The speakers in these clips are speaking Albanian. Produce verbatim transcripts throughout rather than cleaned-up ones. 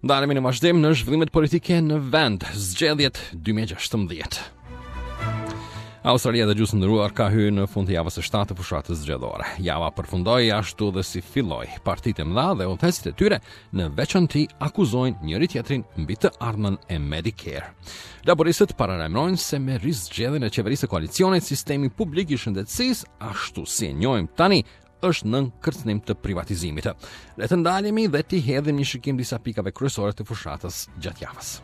Ndalemi në vazhdim në zhvillimet politike në vend, zgjedhjet dy mijë e gjashtëmbëdhjetë. Australia, dëgjues të nderuar, ka hyrë në fund të javës së shtatë të fushatës zgjedhore. Java përfundoi ashtu dhe si filloi. Partitë e mëdha dhe udhëheqësit e tyre në veçanti akuzojnë njëri tjetrin mbi të ardhmen e Medicare. Laboristët paralajmërojnë se me rizgjedhjen e qeverisë së koalicionit, sistemi publik i shëndetësisë, ashtu si e njohim tani, është nën kërcënim të privatizimit. Le të ndalemi dhe t'i hedhim një shikim disa pikave kryesore të fushatës gjatë javës.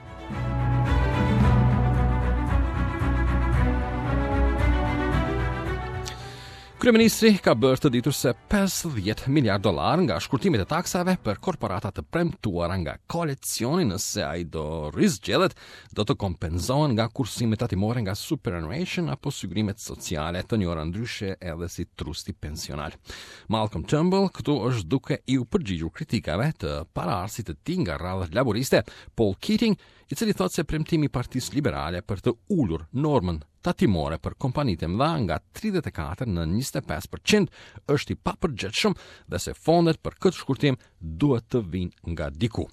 Kryeministri ka bërë të ditur se pesëdhjetë miliard dollar nga shkurtimet e taksave për korporata të premtuara nga koalicioni, nëse ai do rizgjedhet, do të kompenzohen nga kursimet tatimore nga superannuation apo sigurimet sociale, të njohura ndryshe edhe si trusti pensional. Malcolm Turnbull këtu është duke iu përgjigjur kritikave të paraardhësit të tij nga radhët laboriste, Paul Keating, i cili thotë se premtimi i Partisë Liberale për të ulur normën tatimore për kompanitë e mëdha nga tridhjetë e katër në njëzet e pesë për qind është i papërgjegjshëm dhe se fondet për këtë shkurtim duhet të vinë nga diku.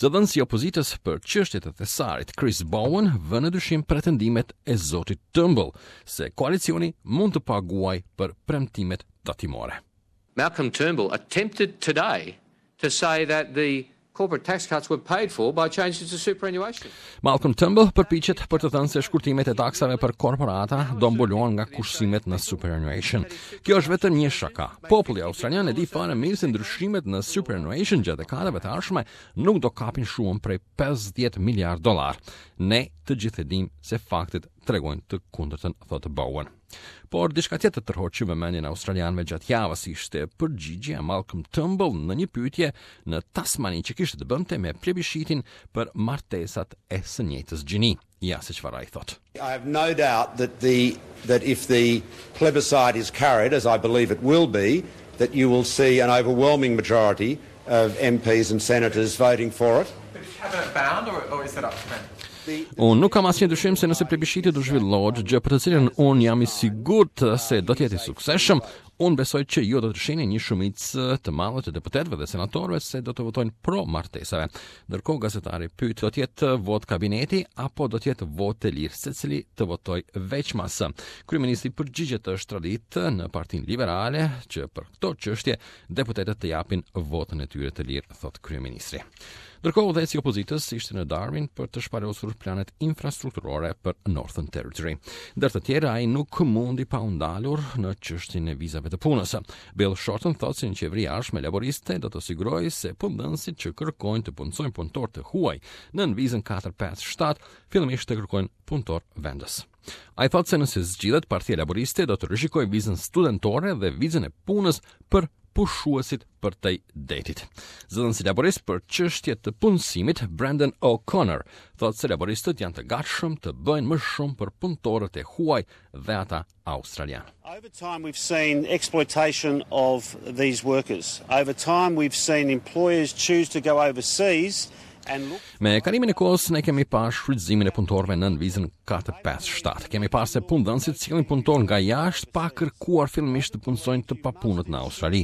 Zëdhënësi i opozitës për çështjet e thesarit, Chris Bowen, vë në dyshim pretendimet e zotit Turnbull se koalicioni mund të paguajë për premtimet tatimore. Malcolm Turnbull attempted today to say that the corporate tax cuts were paid for by changes to superannuation. Malcolm Turnbull përpiqet për të thënë se shkurtimet e taksave për korporata do mbulohen nga kursimet në superannuation. Kjo është vetëm një shaka. Populli australian e di fare mirë se ndryshimet në superannuation gjatë dekadave të ardhshme nuk do kapin shumën prej pesëdhjetë miliard dollar. Ne të gjithë e dim se faktet tregojnë të kundërtën, thotë Bowen. Por diçka tjetër tërhoqi vëmendjen australianëve gjatë javës ishte përgjigjja e Malcolm Turnbull në një pyetje në Tasmani që kishte të bënte me plebishitin për martesat e së njëjtës gjini. Ja se çfarë ai thotë. I have no doubt that the that if the plebiscite is carried, as I believe it will be, that you will see an overwhelming majority of M Ps and senators voting for it. But is cabinet bound or, or is that up to them? Unë nuk kam asnjë dyshim se nëse plebishiti do zhvillohet, gjë për të cilën unë jam i sigurt se do të jetë i suksesshëm, unë besoj që ju do të shihni një shumicë të madhe të deputetëve dhe senatorëve se do të votojnë pro martesave. Ndërkohë gazetari pyet: do të jetë votë kabineti apo do të jetë votë e lirë, secili të votojë veçmas? Kryeministri përgjigjet: është traditë në Partinë Liberale që për këto çështje deputetët të japin votën e tyre të lirë, thotë kryeministri. Ndërkohë, udhëheqësi i opozitës ishte në Darwin për të shpalosur planet infrastrukturore për Northern Territory. Ndër të tjera, ai nuk mundi pa u ndalur në çështjen e vizave të punës. Bill Shorten thotë se një qeveri e ardhshme laboriste do të sigurojë se punëdhënësit që kërkojnë të punësojnë punëtor të huaj nën vizën katër pesë shtatë fillimisht të kërkojnë punëtor vendës. Ai thotë se nëse zgjidhet, Partia Laboriste do të rishikojë vizën studentore dhe vizën e punës për pushuesit përtej detit. Zëdhënësi laborist për çështje të punësimit, Brendan O'Connor, thotë se laboristët janë të gatshëm të bëjnë më shumë për punëtorët e huaj dhe ata australian. Over time, we've seen exploitation of these workers. Over time, we've seen employers choose to go overseas and look Me kalimin e kohës ne kemi parë shfrytëzimin e punëtorëve nën vizën katër pesë shtatë. Kemi parë se punëdhënësit sjellin punëtorë nga jashtë pa kërkuar fillimisht të punësojnë të papunët në Australi.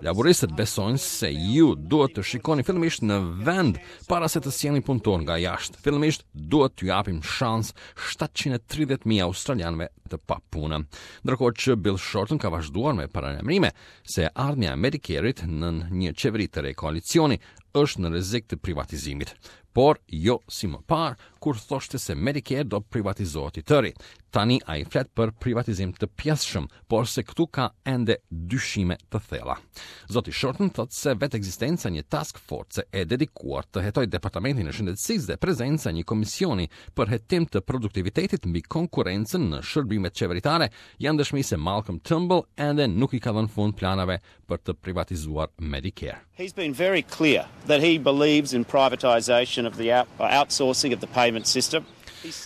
Laboristët besojnë se ju duhet të shikoni fillimisht në vend para se të sjellni punëtorë nga jashtë. Fillimisht duhet t'ju japim shans shtatëqind e tridhjetë mijë australianëve të papunë. Ndërkohë që Bill Shorten ka vazhduar me paralajmërime se ardhmja e Medicare-it nën një qeveri të re koalicioni është në rrezik të privatizimit, por jo si më parë, kur thoshte se Medicare do privatizohet i tëri. Tani ai flet për privatizim të pjesshëm, por se këtu ka ende dyshime të thella. Zoti Shorten thotë se vetë ekzistenca e një task force e dedikuar të hetojë Departamentin e Shëndetësisë dhe prezenca e një komisioni për hetim të produktivitetit mbi konkurrencën në shërbimet qeveritare janë dëshmi se Malcolm Turnbull ende nuk i ka dhënë fund planave për të privatizuar Medicare. He's been very clear that he believes in privatisation of the out, outsourcing of the payment system.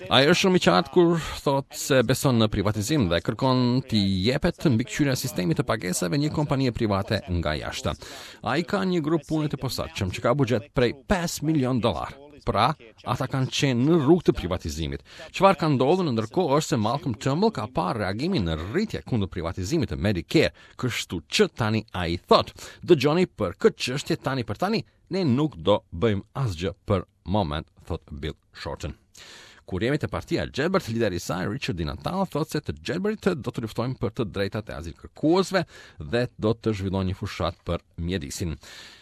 Ai është shumë i qartë kur thotë se beson në privatizim dhe kërkon t'i jepet mbikëqyrja e sistemit të pagesave një kompanie private nga jashtë. Ai ka një grup pune të posaçëm që ka buxhet prej pesë milion dollar. Pra, ata kanë qenë në rrugë të privatizimit. Çfarë ka ndodhur në ndërkohë është se Malcolm Turnbull ka parë reagimin në rritje kundër privatizimit të Medicare, kështu që tani ai thotë, dëgjoni, për këtë çështje tani për tani ne nuk do bëjmë asgjë për moment, thot Bill Shorten. Kur jemi te partia Gjelbërt, lideri i saj Richard Di Natale thotë se të Gjelbërit do të luftojnë për të drejtat e azilkërkuesve dhe do të zhvillojnë një fushatë për mjedisin.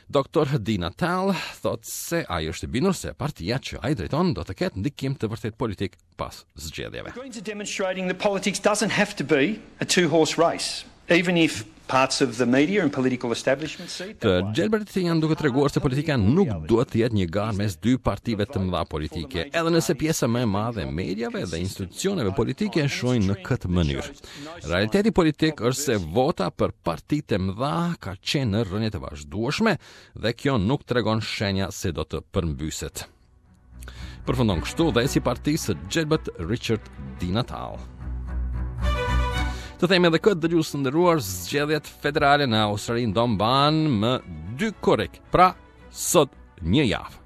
Doktor Di Natale thotë se ai është i bindur se partia që ai drejton do të ketë ndikim të vërtet politik pas zgjedhjeve. Greens are demonstrating that politics doesn't have to be a two-horse race, even if parts of the media and political establishment see it Të that way. Gjelbërit janë duke treguar se politika nuk duhet të jetë një garë mes dy partive të mëdha politike, edhe nëse pjesa më e madhe e mediave dhe institucioneve politike e shohin në këtë mënyrë. Realiteti politik është se vota për partitë e mëdha ka qenë në rënje të vazhdueshme dhe kjo nuk tregon shenja se do të përmbyset. Përfundon kështu dhe si partisë së Gjelbët Richard Di Natale. Të themi edhe këtë, dëgjues të nderuar, zgjedhjet federale në Australinë do mbahen më dy korrik, pra sot një javë.